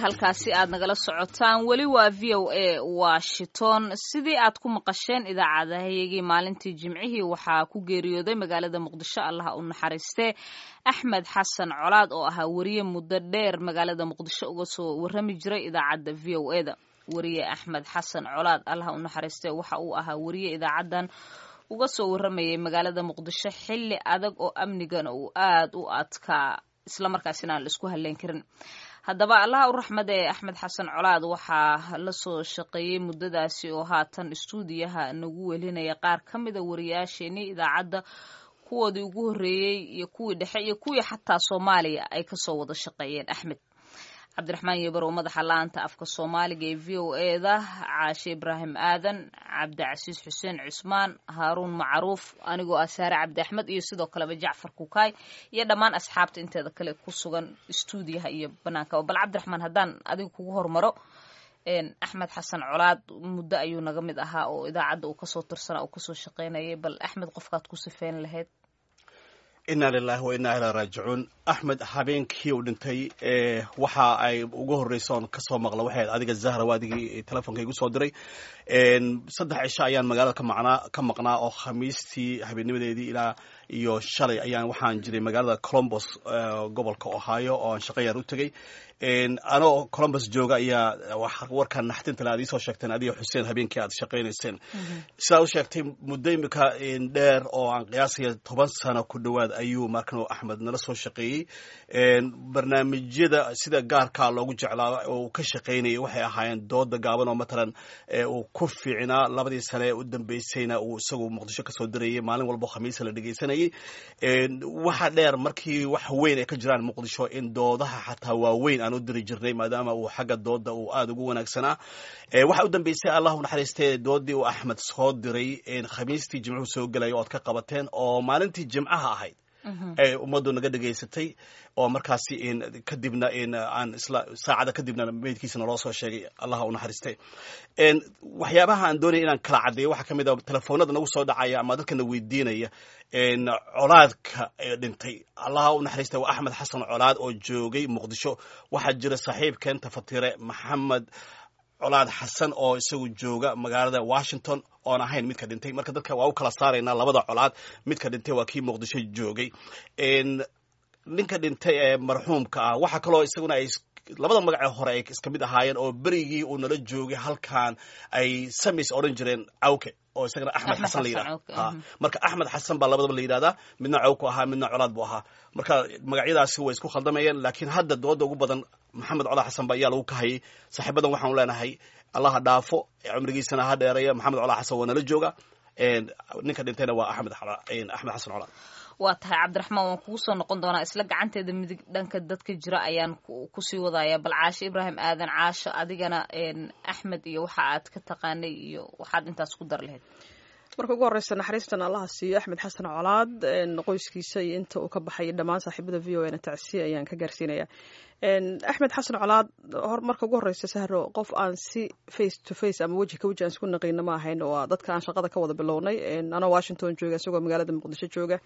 Halkaasi aad nagala socotaan weli waa VOA Washington. Sidii aad ku maqasheen idaacadahayagii maalintii Jimcihii, waxaa ku geeriyooday magaalada Muqdisho, Allaha u naxariistee, Axmed Xasan Colaad oo ahaa weriye muddo dheer magaalada Muqdisho uga soo warrami jiray idaacadda VOA da. Weriye Axmed Xasan Colaad, Allaha u naxariistee, waxa uu ahaa weriye idaacaddan uga soo warramayay magaalada Muqdisho xilli adag oo amnigana uu aad u adkaa, islamarkaasina aan la isku halleyn karin. Haddaba, Allaha u raxmad ee Axmed Xasan Colaad waxaa la soo shaqeeyey muddadaasi oo haatan istuudiyaha nagu welinaya qaar ka mida wariyaasheenii idaacadda kuwoodii ugu horreeyey iyo kuwii dhexe iyo kuwii xataa Soomaaliya ay kasoo wada shaqeeyeen Axmed. Cabdiraxmaan Yebarow, madaxa laanta afka Soomaaliga ee VOA da, Caashe Ibraahim Aadan, Cabdicasiis Xuseen Cusmaan, Haaruun Macruuf, anigoo ah Saare Cabdi Axmed iyo sidoo kaleba Jacfar Kukaay iyo dhammaan asxaabta inteeda kale ku sugan istuudiyaha iyo banaanka. Bal Cabdiraxmaan, haddaan adiga kugu hormaro, Axmed Xasan Colaad muddo ayuu naga mid ahaa oo idaacadda uu kasoo tirsanaa, uu kasoo shaqeynayay. Bal Axmed qofkaad ku sifeyn lahayd? Inna lilahi wa inna ilaa raajicuun. Axmed habeenkii uu dhintay waxa ay ugu horreysa oon kasoo maqla waxay ahayd adiga, Zahra, waa adigii telefonka igu soo diray. 3 cisho ayaan magaalada kamaqnaa ka maqnaa oo Khamiistii habeennimadeedii ilaa iyo shalay ayaan waxaan jiray magaalada Columbus, gobolka Ohio, oo aan shaqo yar u tegey. Anoo Columbus jooga ayaa warkan naxdinta le aad iisoo sheegteen adiga, Xuseen, habeenkii aad shaqaynayseen. Sidaa u sheegtay, muddo imika dheer oo aan qiyaasaya 10 sano ku dhowaad ayuu markan Axmed nala soo shaqeeyey. Barnaamijyada sida gaarkaa loogu jeclaa oo uu ka shaqaynayay waxay ahaayeen dooda gaaban oo matalan uu ku fiicnaa. Labadii sane ee u dambeysayna uu isagu Muqdisho kasoo dirayay maalin walbo Khamiisa la dhegeysanayay. Waxa dheer, markii wax weyn ay ka jiraan Muqdisho, in doodaha xataa waaweyn aan u diri jirnay, maadaama uu xagga dooda uu aada ugu wanaagsanaa. Waxa u dambeysay, Allahu naxariistee, doodii uu Axmed soo diray Khamiistii Jimcuhu soo gelaya ood ka qabateen oo maalintii Jimcaha ahayd ee ummaddu naga dhegaysatay, oo markaasi kadibna aan isla saacada kadibna meydkiisa naloo soo sheegay, Allaha u naxariistay. Waxyaabaha aan doonaya inaan kala caddeeyo waxaa ka mid a telefoonada nagu soo dhacaya ama dadkana weydiinaya Colaadka dhintay. Allaha u naxariistay waa Axmed Xasan Colaad oo joogay Muqdisho. Waxaa jira saaxiibkeen tafatire Maxamed Colaad Xasan oo isagu jooga magaalada Washington, oon ahayn midka dhintay. Marka dadka waa u kala saaraynaa labada Colaad. Midka dhintay waa kii Muqdisho joogay. Ninka dhintay ee marxuumka ah, waxaa kaloo isaguna ay labada magacee hore ay iska mid ahaayeen oo berigii uu nala joogay halkan ay samis odhan jireen Cawke, oo isagana Axmed Xasan la yidhaha. Marka Axmed Xasan baa labadaba la yidhahdaa, midna Cawku ahaa, midna Colaad buu ahaa. Marka magacyadaasi way isku khaldamayeen, laakiin hadda dooda ugu badan Maxamed Colaad Xasan ba ayaa lagu kahayay. Saaxiibadan waxaanu leenahay Allaha dhaafo, cumrigiisana ha dheereeya. Maxamed Colaad Xasan waa nala jooga. Ninka dhintayna waa Axmed Xasan Colaad. Waa tahay, Cabdiraxmaan, waan kugu soo noqon doonaa. Isla gacanteeda midig dhanka dadka jira ayaan kusii wadaya. Bal Caasho Ibraahim Aadan, Caasho, adigana Axmed iyo waxa aad ka taqaanay iyo waxaad intaas ku dar lahayd? Marka ugu horeysa, naxariistan Allaha siiyo Axmed Xasan Colaad, qoyskiisa iyo inta uu ka baxay, dhammaan saaxiibada VOA na tacsiya ayaan ka gaarsiinaya. Axmed Xasan Colaad, marka ugu horeysa, Sahro, qof aan si face to face ama weji ka weji aan isku naqiino ma ahayn, oo dadka aan shaqada ka wada bilownay, anoo Washington jooga, isagoo magaalada Muqdisho jooga.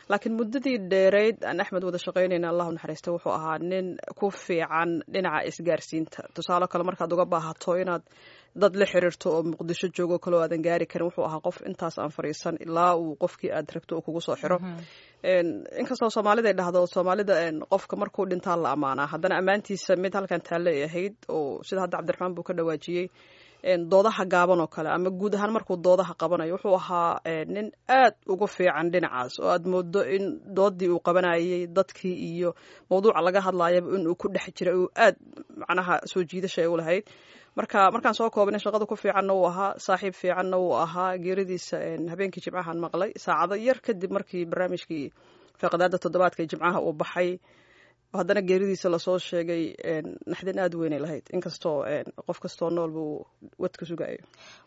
Laakiin muddadii dheereyd aan Axmed wada shaqaynayna, Allahu naxariista, wuxuu ahaa nin ku fiican dhinaca isgaarsiinta. Tusaale kale, markaad uga baahato inaad dad la xiriirto oo Muqdisho joogo kaloo aadan gaari karin, wuxuu ahaa qof intaas aan fariisan ilaa uu qofkii aad rabto uu kugu soo xiro. Inkastoo Soomaalida ay dhahdo Soomaalida qofka markuu dhintaa la ammaanaa, haddana ammaantiisa mid halkan taalle ay ahayd, oo sida hadda Cabdiraxmaan buu ka dhawaajiyey, doodaha gaaban oo kale ama guud ahaan markuu doodaha qabanayo, wuxuu ahaa nin aad ugu fiican dhinacaas, oo aad moodo in doodii uu qabanayay dadkii iyo mawduuca laga hadlayaba inuu ku dhex jiray, uu aad macnaha soo jiidasha ay u lahayd. Marka markaan soo koobnay, shaqada ku fiicanna wuu ahaa, saaxiib fiicanna wuu ahaa. Geeridiisa habeenkii Jimcahan maqlay, saacado yar kadib markii barnaamijkii faaqidaada toddobaadka ee Jimcaha uu baxay, haddana geeridiisa lasoo sheegay. Naxdin aada weynay lahayd, inkastoo qof kastoo nool buu wadka sugayo.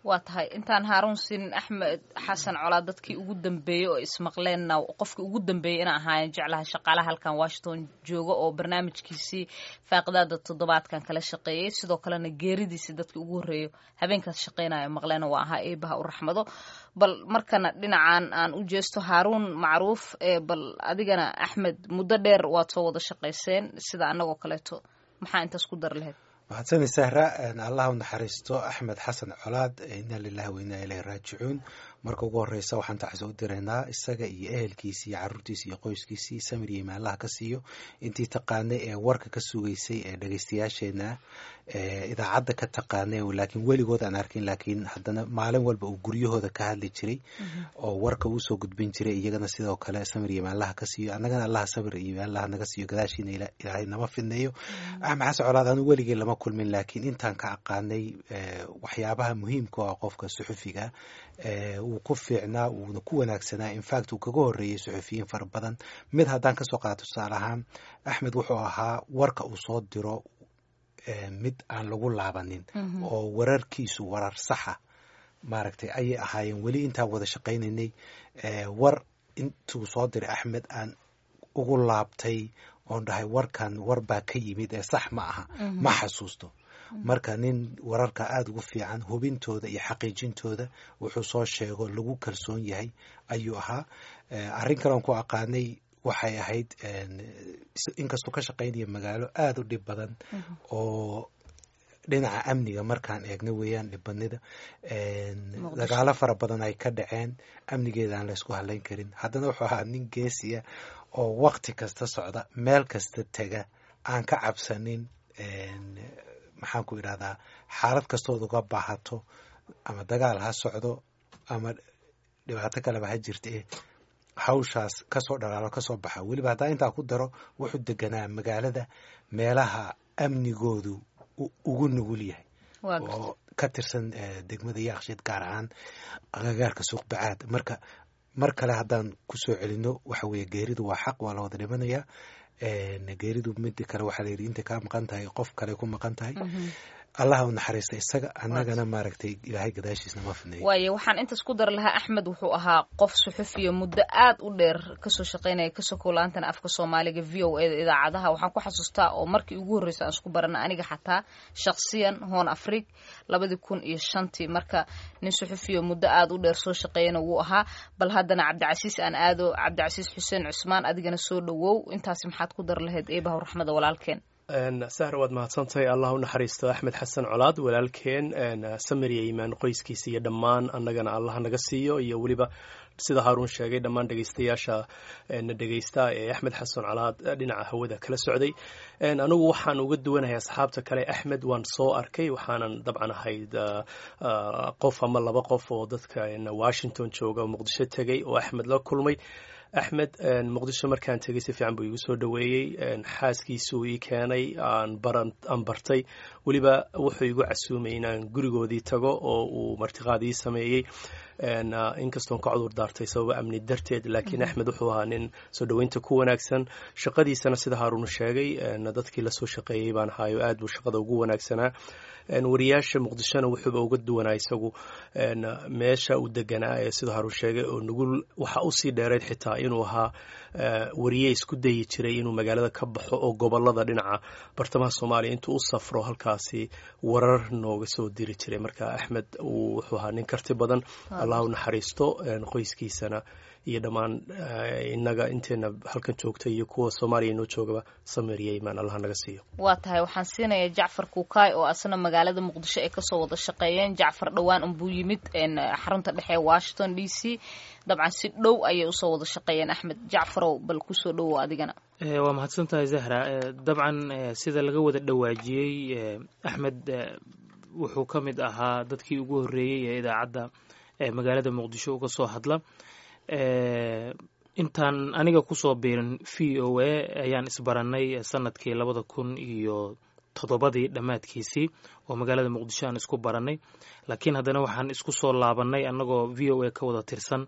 Waa tahay. Intaan Haaruun siin, Axmed Xasan Colaad dadkii ugu dambeeyey oo ismaqleenna, qofkii ugu dambeeyey ina ahaayeen jeclaha shaqaalaha halkan Washington jooga oo barnaamijkiisii faaqidaada toddobaadkan kala shaqeeyey, sidoo kalena geeridiisii dadkii ugu horreeyo habeenkaas shaqeynayo maqleena waa ahaa. Eebaha u raxmado. Bal markana dhinacan aan u jeesto Haaruun Macruuf. Bal adigana Axmed muddo dheer waad soo wada shaqayseen sida annagoo kaleeto, maxaa intaas ku dar lahayd? Mahadsani Sahra. Allah u naxariisto Axmed Xasan Colaad. Inna lilahi wa inna ilayhi raajicuun. Marka ugu horeysa waxaan tacsi u diraynaa isaga iyo ehelkiisi iyo caruurtiisi iyo qoyskiisii, samir iyo imaanlaha ka siiyo. Intii taqaanay ee warka ka sugaysay ee dhegeystayaasheena ee idaacadda ka taqaanay, laakiin weligood aan arkin, laakiin haddana maalin walba uu guryahooda ka hadli jiray oo warka uusoo gudbin jiray, iyagana sidoo kale samir iyo imaanlaha ka siiyo. Annagana Allaha samir iyo imaanlaha naga siiyo, gadaashiina Ilaahay nama fidneeyo. Axmed Xasan Colaad anu weligii lama kulmin, laakiin intaan ka aqaanay waxyaabaha muhiimka oo ah qofka suxufiga wuu ku fiicnaa, wuuna ku wanaagsanaa. Infact, uu kaga horreeyey suxufiyiin fara badan. Mid haddaan kasoo qaato tusaale ahaan, Axmed wuxuu ahaa warka uu soo diro mid aan lagu laabanin, oo wararkiisu warar saxa maaragtay ayay ahaayeen. Weli intaan wada shaqaynaynay, war intuu soo diray Axmed aan ugu laabtay oon dhahay warkan war baa ka yimid ee sax ma aha, ma xasuusto. Marka nin wararka aada ugu fiican hubintooda iyo xaqiijintooda, wuxuu soo sheego lagu kalsoon yahay ayuu ahaa. Arrin kaleon ku aqaanay waxay ahayd, inkastuu ka shaqaynaya magaalo aada u dhib badan oo dhinaca amniga markaan eegno weeyaan dhibbanida, dagaalo fara badan ay ka dhaceen, amnigeeda aan laysku hadlayn karin, haddana wuxuu ahaa nin geesiya oo wakti kasta socda, meel kasta tega, aan ka cabsanin. Maxaan ku idhahdaa, xaalad kastood uga baahato, ama dagaal ha socdo ama dhibaato kaleba ha jirta, hawshaas kasoo dhalaalo, kasoo baxa. Weliba haddaa intaa ku daro, wuxuu deganaa magaalada meelaha amnigoodu ugu nugul yahay oo ka tirsan degmada Yaaqshiid, gaar ahaan agagaarka Suuq Bacaad. Marka mar kale haddaan kusoo celino, waxa weeye geeridu waa xaq, waa la wada dhimanayaa geeridu. Mida kale waxaa la yidhi intay kaa maqan tahay qof kale ku maqan tahay. Allah u naxariista isaga, annagana maaragtay Ilaahay gadaashiisna ma fidneeyo. Waayo, waxaan intaas ku dari lahaa, Axmed wuxuu ahaa qof suxufiya muddo aad u dheer kasoo shaqaynaya kasoo kowlaantana afka Soomaaliga VOA da idaacadaha. Waxaan ku xasuustaa oo markii ugu horreysay aan isku barana aniga xataa shakhsiyan Hoon Afrig 2005-tii. Marka nin suxufiya muddo aad u dheer soo shaqeeyana wuu ahaa. Bal haddana Cabdicasiis aan aado. Cabdicasiis Xuseen Cusmaan, adigana soo dhowow. Intaasi maxaad ku dari lahayd eebaha raxmada walaalkeen? Sahra, waad mahadsantahay. Allah u naxariisto Axmed Xasan Colaad walaalkeen, samir iyo iimaan qoyskiisa iyo dhammaan annagana Allah naga siiyo, iyo weliba sida Haaruun sheegay dhammaan dhegeystayaasha na dhegeysta ee Axmed Xasan Colaad dhinaca hawada kala socday. Anigu waxaan uga duwanahay asxaabta kale, Axmed waan soo arkay, waxaanan dabcan ahayd qof ama laba qof oo dadka Washington jooga Muqdisho tegey oo Axmed la kulmay. Axmed Muqdisho markaan tegey si fiican buu igu soo dhoweeyey, xaaskiisuu ii keenay, aan bartay. Weliba wuxuu igu casuumay inaan gurigoodii tago oo uu martiqaad ii sameeyey, inkastoon ka cudur daartay sababo amni darteed. Laakiin Axmed wuxuu ahaa nin soo dhoweynta ku wanaagsan, shaqadiisana sida Haaruun sheegay dadkii lasoo shaqeeyey baan ahaayo, aad buu shaqada ugu wanaagsanaa. Wariyaasha Muqdishona wuxuuba uga duwanaa isagu meesha uu deganaa ee sida Haaruun sheegay oo nugul. Waxa usii dheereyd xitaa inuu ahaa wariye isku dayi jiray inuu magaalada ka baxo oo gobolada dhinaca bartamaha Soomaaliya intuu u safro halkaasi warar nooga soo diri jiray. Marka Axmed wuxuu ahaa nin karti badan. Allah u naxariisto qoyskiisana iyo dhammaan innaga inteena halkan joogta iyo kuwa Soomaaliya inoo joogaba, samir iyo iimaan Allah naga siiyo. Waa tahay. Waxaan siinayaa Jacfar Kukaay oo asna magaalada Muqdisho ay kasoo wada shaqeeyeen. Jacfar dhowaan unbuu yimid xarunta dhexe ee Washington DC. Dabcan si dhow ayay usoo wada shaqeeyeen Axmed. Jacfarow, bal kusoo dhowow adigana. Waa mahadsan tahay Zahra. Dabcan sida laga wada dhawaajiyey, Axmed wuxuu ka mid ahaa dadkii ugu horreeyey ee idaacadda magaalada Muqdisho uga soo hadla. Intaan aniga kusoo biirin VOA ayaan isbaranay sanadkii 2007-dii dhammaadkiisii oo magaalada Muqdisho aan isku baranay, laakiin haddana waxaan isku soo laabanay annagoo VOA ka wada tirsan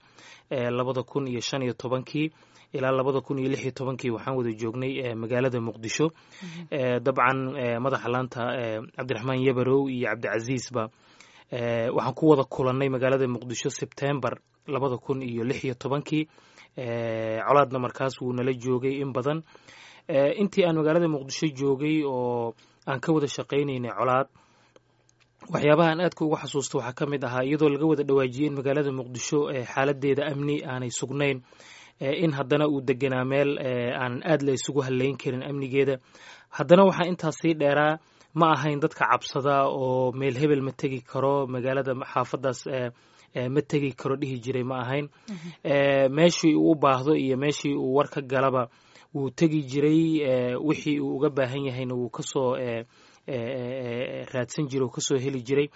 2015-kii ilaa 2016-kii waxaan wada joognay magaalada Muqdisho. Dabcan madaxa laanta Cabdiraxmaan Yabarow iyo Cabdicasiisba waxaan ku wada kulannay magaalada Muqdisho Sebtembar 2016-kii. Colaadna markaas wuu nala joogay in badan intii aan magaalada Muqdisho joogay oo aan ka wada shaqaynaynay Colaad. Waxyaabaha aan aadka uga xasuusto waxaa ka mid ahaa, iyadoo laga wada dhawaajiyey in magaalada Muqdisho xaaladeeda amni aanay sugnayn, in haddana uu deganaa meel aan aad la isugu halayn karin amnigeeda. Haddana waxaa intaas sii dheeraa Ma ahayn dadka cabsada oo meel hebel ma tegi karo, magaalada xaafadaas ma tegi karo dhihi jiray ma ahayn. Meeshii uu u baahdo iyo meeshii uu war ka galaba wuu tegi jiray, wixii uu uga baahan yahayna wuu kasoo raadsan jiray oo kasoo heli jiray.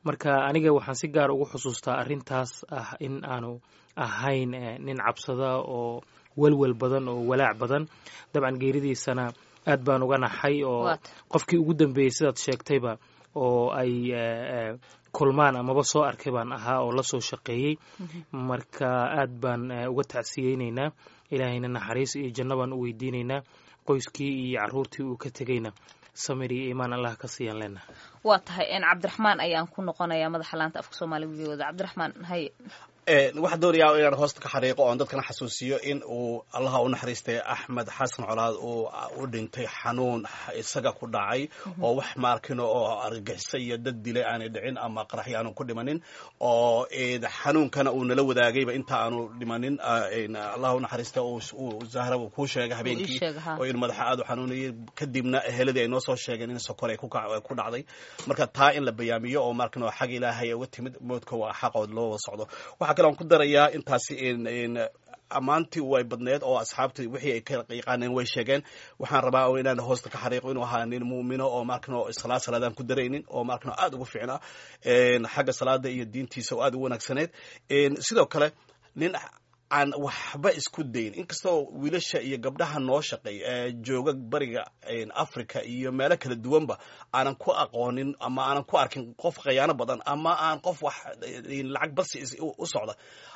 Marka aniga waxaan si gaar ugu xusuustaa arrintaas ah in aanu ahayn nin cabsada oo welwel badan oo walaac badan. Dabcan geeridiisana aad baan uga naxay, oo qofkii ugu dambeeyey sidaad sheegtayba oo ay kulmaan amaba soo arkay baan ahaa oo la soo shaqeeyey. Marka aad baan uga tacsiyeyneynaa, Ilaahayna naxariis iyo janno baan u weydiineynaa, qoyskii iyo carruurtii uu ka tegeyna samir iyo iimaan Allah ka siiyaan leenaha. Waa tahay. Cabdiraxmaan ayaan ku noqonayaa, madaxa laanta afka Soomaaliga V O da. Cabdiraxmaan, haye. Waxaan doonayaa inaan hoosta ka xariiqo oon dadkana xasuusiyo in uu Allaha u naxariistay Axmed Xasan Colaad uu u dhintay xanuun isaga ku dhacay, oo wax maarkino oo argagixisa iyo dad dilay aanay dhicin ama qaraxyo aanu ku dhimanin, oo xanuunkana uu nala wadaagayba inta aanu dhimanin. Allaha u naxariistay, uu Zahra uu kuu sheegay habeenkii oo in madaxa aad u xanuunayay, kadibna eheladii ay noo soo sheegeen in sokor ay ku dhacday. Marka taa in la bayaamiyo oo maarkino xag Ilaahay uga timid, moodka waa xaqood loo wada socdo. Waxaa kale aan ku darayaa intaasi in ammaantii way badneed oo asxaabtii wixii ay ka yaqaaneen way sheegeen. Waxaan rabaa oo inaan hoosta ka xariiqo inuu ahaa nin muumino oo maarkano salaad salaadaan ku daraynin, oo maarkano aad ugu fiicnaa xagga salaada iyo diintiisa oo aad ugu wanaagsaneed. Sidoo kale nin aan waxba isku dayn, inkastoo wiilasha iyo gabdhaha noo shaqeey ee jooga bariga Africa iyo meelo kala duwanba aanan ku aqoonin ama aanan ku arkin qof khayaano badan ama aan qof wax lacag badsi u socda,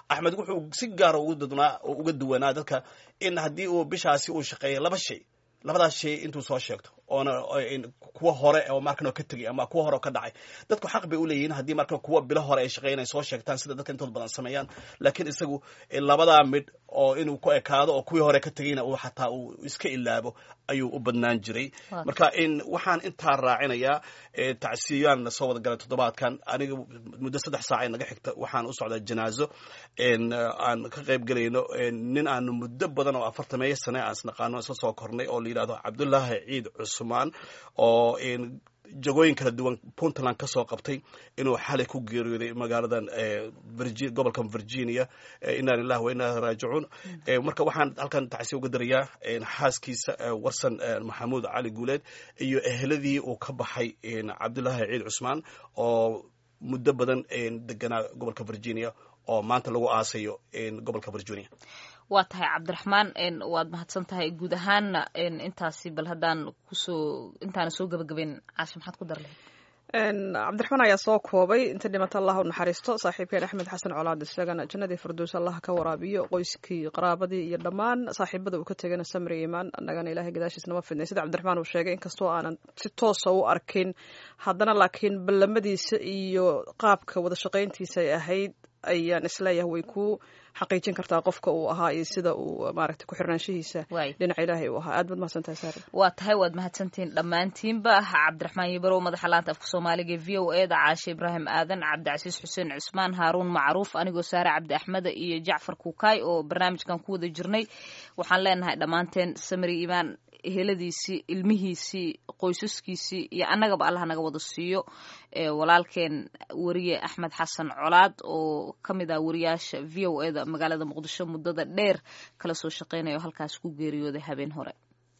Axmed wuxuu si gaara uga duwanaa dadka in haddii uu bishaasi uu shaqeeya laba shay, labadaas shay intuu soo sheegto oona kuwa hore oo markan ka tegay ama kuwa hore oo ka dhacay, dadku xaq bay u leeyihiin haddii markan kuwa bilo hore ay shaqeynay soo sheegtaan, sida dadka intooda badan sameeyaan. Laakiin isagu labadaa midh oo inuu ku ekaado oo kuwii hore ka tegayna uu xataa uu iska ilaabo ayuu u badnaan jiray. Marka in waxaan intaa raacinayaa, tacsiyaan na soo wada galay toddobaadkan. Aniga muddo 3 saac ay naga xigta waxaan u socdaa janaazo aan ka qayb gelayno nin aanu muddo badan oo 40-meeyo sane aan isnaqaano, isla soo kornay, oo la yidhahdo Cabdullaahi Ciid Cusmaan, oo jagooyin kala duwan Puntland ka soo qabtay, inuu xalay ku geeriyooday magaaladan gobolkan Virginia. Inna lillahi wa inna raajicuun. Marka waxaan halkan tacsi uga darayaa xaaskiisa Warsan Maxamuud Cali Guuleed iyo eheladii uu ka baxay Cabdullaahi Ciid Cusmaan, oo muddo badan deganaa gobolka Virginia, oo maanta lagu aasayo gobolka Virginia. Waa tahay Cabdiraxmaan, waad mahadsan tahay. Guud ahaanna intaasi bal haddaan kusoo intaana soo gabagabeyn, Caasha, maxaad ku dar lahayd? Cabdiraxmaan ayaa soo koobay. Inta dhimata Allah u naxariisto saaxiibkeen Axmed Xasan Colaad, isagana jannadii firdows Allah ka waraabiyo, qoyskii, qaraabadii iyo dhammaan saaxiibada uu ka tegana samri iimaan, annagana Ilahay gadaashiis nama fidnay. Sida Cabdiraxmaan uu sheegay, inkastoo aanan si toosa u arkin haddana laakiin ballamadiisa iyo qaabka wada shaqayntiisa ay ahayd ayaan isleeyahay way ku xaqiijin kartaa qofka uu ahaa iyo sida uu maaragtay ku xirnaanshihiisa dhinaca Ilaahay uu ahaa. Aad baad mahadsantahay, Saara. Waa tahay, waad mahadsantihiin dhammaantiinba. Cabdiraxmaan Yibarow, madaxa laanta afka Soomaaliga e VOA da, Caashe Ibraahim Aadan, Cabdicasiis Xuseen Cusmaan, Haaruun Macruuf, anigoo Saare Cabdi Axmeda iyo Jacfar Kukaay oo barnaamijkan ku wada jirnay, waxaan leenahay dhammaanteen samri iimaan eheladiisii, ilmihiisii, qoysaskiisii iyo annagaba Allah naga wada siiyo walaalkeen weriye Axmed Xasan Colaad, oo ka mid ah wariyaasha VOA da magaalada Muqdisho muddada dheer kala soo shaqeynaya, oo halkaas ku geeriyooday habeen hore.